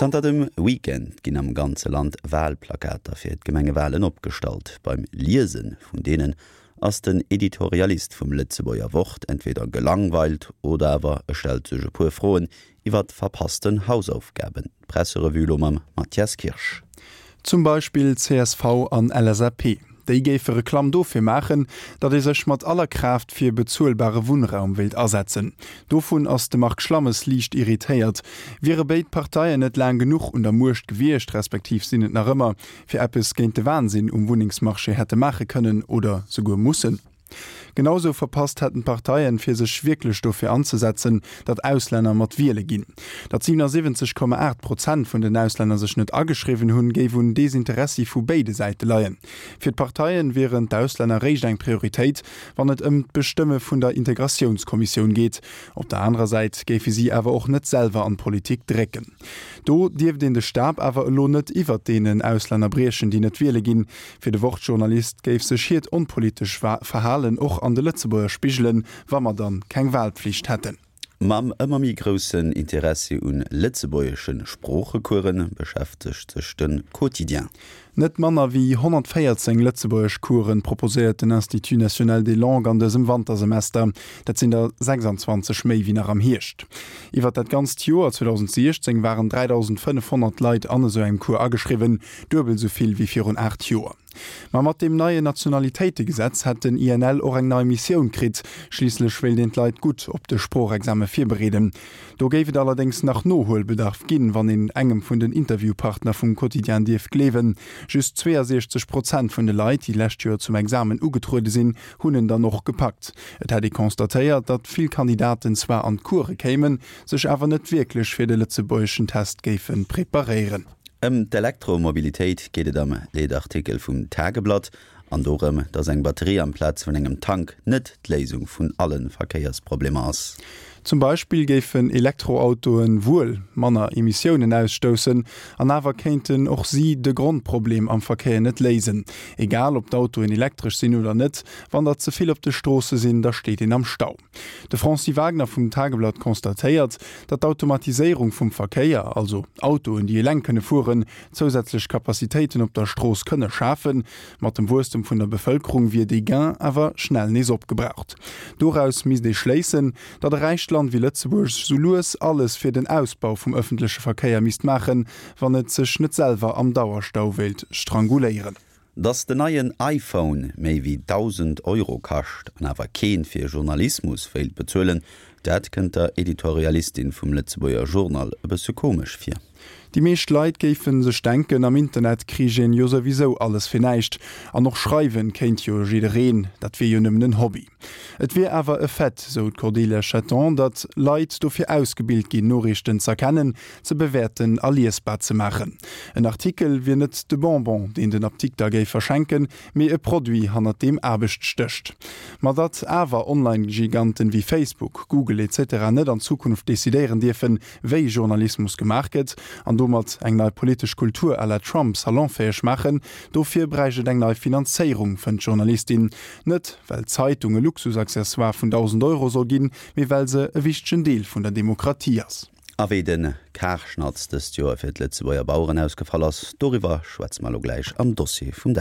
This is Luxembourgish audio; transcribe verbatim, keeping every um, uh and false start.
Zanter dem Weekend ginn am ganze Land Walplakater fir d'Gemengewalen opgestallt. Beim Liese vun deenen ass den Editorialist vum Lëtzebuerger Wort entweder gelangweilt oder awer e stellt sech e puer Froen iwwer verpassten Hausaufgaben. Presserevue lo mam Matthias Kirsch. Zum Beispill C S V an L S A P. Déi géife Reklamm dofir maachen, datt ee sech mat aller Kraaft fir bezuelbare Wunnraum wéilt asetzen. Dovun ass de Marc Schlammes liicht irritéiert. Wiere béid Parteien net laang genuch un der Muecht gewiescht, respektiv sinn et nach ëmmer, fir eppes géint de Wahnsinn um Wunnengsmarché hätte maache kënnen oder souguer mussen. Genausou verpasst hätten d'Parteien, fir sech wierklech dofir anzesetzen, datt Auslänner mat wiele ginn. Datt siewenundsiwwenzeg Komma aacht Prozent vun den Auslänner sech net ageschriwwen hunn, géif un Desinteressi vu béide Säite leien. Fir d'Parteien wieren d'Auslänner réischt eng Prioritéit, wann et ëm d'Bestëmme vun der Integratiounskommissioun geet. Op der anerer Säit géife si awer och net selwer an d'Politik drécken. Do dierft een de Stab awer elo net iwwer deenen Auslänner briechen, déi net wiele ginn. Fir de Wort-Journalist géif sech hiert onpolitescht Verhalen och an de Lëtzebuerger spigelen, wa mer dann keng Walpflicht hätten. Mam ëmmer méi groussen Interessi un lëtzebuergesche Sproochecoursen beschäftegt sech de Quotidien. Net manner wéi honnertvéierzéng Lëtzebuergeschcoursen proposéiert den Institut national des langues an dësem Wantersemester. Dat sinn der sechsanzwanzeg méi wéi nach am Hierscht. Iwwer dat ganzt Joer zweedausendsiechzéng waren dräidausendfënnefhonnert Leit an esou engem Cours ageschriwwen, duebel esou vill wéi virun aacht Joer. Ma mat deem neien Nationalitéitegesetz hätt den I N L och eng nei Missioun kritt, schliisslech wéilt een d'Leit gutt op de Sproochexame virbereeden. Do géif et allerdéngs nach Nohuelbedarf ginn, wann een engem vun den Interviewpartner vum Quotidien dierf gleewen. Just zweeënsiechzeg Prozent vun de Leit, déi lescht Joer zum Examen ugetruede sinn, hunn en dann och gepackt. Et hätt ee constatéiert, datt vill Kandidaten zwar an d'Course kéimen, sech awer net wierklech fir de lëtzebuergeschen Test géife preparéieren. Ëm d'Elektromobilitéit geet et am Leedartikel vum Tageblatt an dorëm, datt eng Batterie amplaz vun engem Tank net d'Léisung vun alle Verkéiersproblemer ass. Zum Beispill géifen Elektroautoen wuel manner Emissiounen ausstoussen, an awer kéinten och si de Grondproblem am Verkéier net léisen. Egal ob d'Autoen elektresch sinn oder net, wann der ze vill op de Stroosse sinn, da steet een am Stau. De Franci Wagner vum Tageblatt constatéiert, datt d'Automatiséierung vum Verkéier, also Autoen, déi eleng kënne fueren, zousätzlech Kapazitéiten op der Strooss kënne schafen, mat dem Wuesstem vun der Bevëlkerung wier dee Gain awer schnell nees opgebraucht. Doraus misst ee schléissen, datt e räicht Land wéi Lëtzebuerg sou lues alles fir den Ausbau vum ëffentleche Verkéier misst maachen, wann et sech net selwer am Dauerstau wéilt stranguléieren. Dass den neien iPhone méi wéi dausend Euro kascht an awer keen fir Journalismus wéilt bezuelen, dat kënnt der Editorialistin vum Lëtzebuerger Journal e bësse komesch vir. Déi meescht Leit géife sech denken, am Internet kritt een jo souwisou alles fir näischt an och schreiwen kéint jo jiddereen, dat wier jo nëmmen en Hobby. Et wier awer e Fait, sou d'Cordelia Schatan, datt Leit dofir ausgebilt ginn, Noriichten ze erkennen, ze bewäerten a liesbar ze maachen. En Artikel wier net de Bonbon, deen den Apdikter géif verschenken, mee e Produit, hannert deem Aarbecht stécht. Ma datt awer Online-Giganten wéi Facebook, Google et cetera net an Zukunft decidéieren dierfen, wéi Journalismus gemaach gëtt, an domat eng nei politesch Kultur à la Trump salonfäeg maachen, dofir bräicht et eng nei Finanzéierung, fënnt d'Journalistin. Net well d'Zeitung e Luxusaccessoire vun dausend Euro soll ginn, mee well se e wichtegen Deel vun der Demokratie ass. A wéi de Karschnatz dëst Joer fir d'Lëtzebuerger Baueren ausgefall ass, doriwwer schwätze mer lo gläich am Dossier vum Dag.